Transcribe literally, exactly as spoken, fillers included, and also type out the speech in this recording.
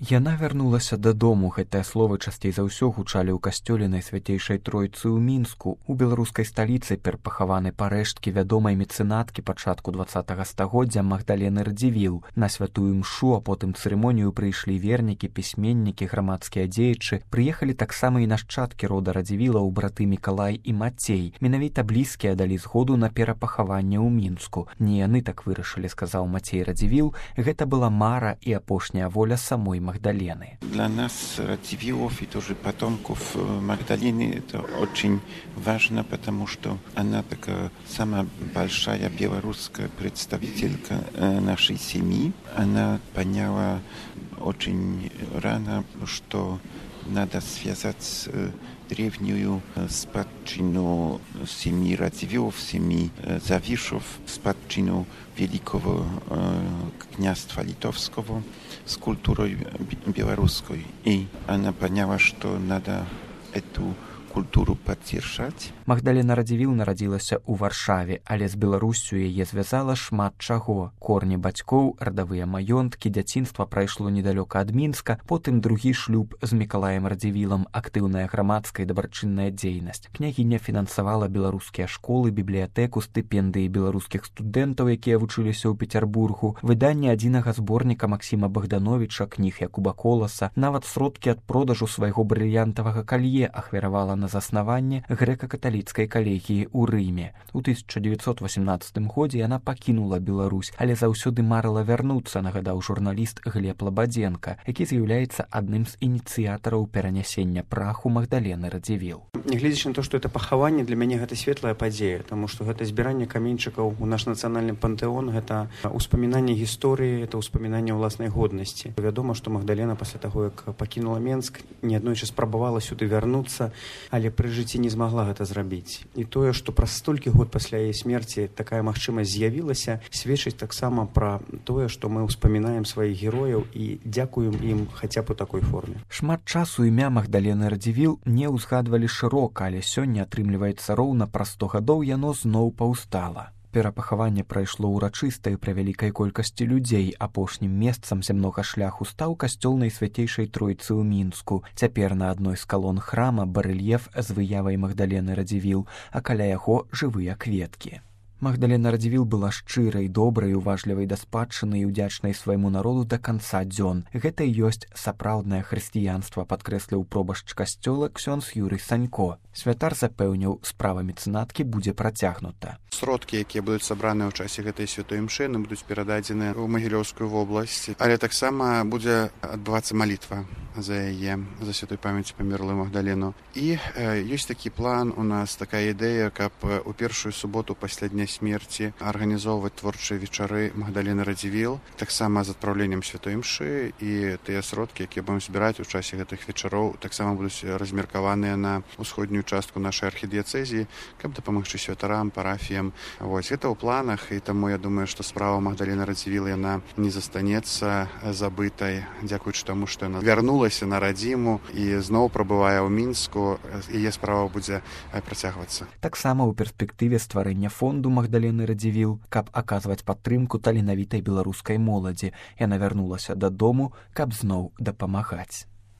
Яна вярнулася дадому. Гэтыя словы часцей за ўсё гучалі ў касцёле Найсвяцейшай Тройцы ў Мінску. У беларускай сталіцы перапахаваны парэшткі вядомай мецэнаткі пачатку дваццатага стагоддзя Магдалены Радзівіл. На святую мшу, а потым цырымонію прыйшлі вернікі, пісьменнікі, грамадскія дзеячы. Прыехалі таксама і нашчадкі рода Радзівілаў, браты Мікалай і Мацей. Менавіта блізкія далі згоду на перапахаванне ў Мінску. Не яны так вырашылі, сказаў Мацей Радзівіл. Гэта была мара і апошняя воля самой Магдалены. Для нас, Радзивиллов и тоже потомков Магдалены, это очень важно, потому что она такая самая большая белорусская представителька нашей семьи. Она поняла очень рано, что надо связать древнюю спадщину семьи Радзивиллов, семьи Завишев, спадщину великого княжества Литовского с культурой белорусской. И она поняла, что надо эту культуру падзіржаць. Магдалена Радзівіл нарадзілася ў Варшаве, але з Беларуссю яе звязала шмат чаго. Корні бацькоў, радавыя маёнткі, дзяцінства прайшло недалёка ад Мінска, потым другі шлюб з Мікалаем Радзівілам, актыўная грамадская і дабрачынная дзейнасць. Княгіня фінансавала беларускія школы, бібліятэку, стыпендыі беларускіх студэнтаў, якія вучыліся ў Пецярбургу, выданне адзінага зборніка Максіма Богдановича, кніг Якуба Коласа, нават сродкі ад продажу свайго брыльянтавага калье ахвяравала на заснаванне грэка-каталіцкай калегіі ў Рыме. У тысяча дзевяцьсот васемнаццатым годзе яна пакінула Беларусь, але заўсёды марыла вярнуцца, нагадаў журналіст Глеб Лабадзенка, які з'яўляецца адным з ініцыятараў перанясення праху Магдалены Радзівіл. Нягледзячы на то, што это пахаванне, для мяне гэта светлая падзея, таму што гэта збіранне каменьчыкаў у наш нацыянальны пантэон, гэта ўспамінанне гісторыі, это ўспамінанне ўласнай годнасці. Вядома, што Магдалена пасля таго, як пакінула Менск, неаднойчы спрабавала сюды вярнуцца, але пры жыцці не змагла гэта зрабіць. І тое, што праз столькі год пасля яе смерці такая магчымасць з'явілася, сведчыць таксама пра тое, што мы ўспамінаем сваіх герояў і дзякуем ім хаця б у такой форме. Шмат часу імя Магдалены Радзівіл не ўзгадвалі шырока, але сёння, атрымліваецца, роўна праз сто гадоў яно зноў паўстала. Перапахаванне прайшло ўрачыста і пры вялікай колькасці людзей. Апошнім месцам зямнога шляху стаў касцёл Найсвяцейшай Тройцы ў Мінску. Цяпер на адной з калон храма барэльеф з выявай Магдалены Радзівіл, а каля яго жывыя кветкі. Магдалена Радзівіл была шчырай, добрай, уважлівай да спадчыны і ўдзячнай свайму народу да канца дзён. Гэта і ёсць сапраўднае хрысціянства, падкрэсліў пробашч касцёла ксёндз Юрый Санько. Святар запэўніў, справа мецэнаткі будзе працягнута. Сродкі, якія будуць сабраныя ў часе гэтай святой імшы, будуць перададзены ў Магілёўскую вобласць, але таксама будзе адбывацца малітва за яе, за святой памяць памерлую Магдалену. І э, ёсць такі план у нас, такая ідэя, каб у першую суботу пасля дня смерці арганізоўваць творчыя вечары Магдалены Радзівіл, таксама з адпраўленнем святой імшы, і тыя сродкі, якія будем збіраць у часе гэтых вечароў, таксама будуць размеркаваныя на ўсходнюю частку нашай архідыяцэзіі, каб дапамагчы святарам, парафіям. Вось, гэта ў планах, і таму я думаю, што справа Магдалены Радзівіл, яна не застанецца забытай, дзякуючы таму, што яна вярнулася на радзіму і зноў прабывае ў Мінску, яе справа будзе працягвацца. Таксама ў перспектыве стварэння фонду Магдалены Радзівіл, каб аказваць падтрымку таленавітай беларускай моладзі. Яна вярнулася дадому, каб зноў дапамагаць.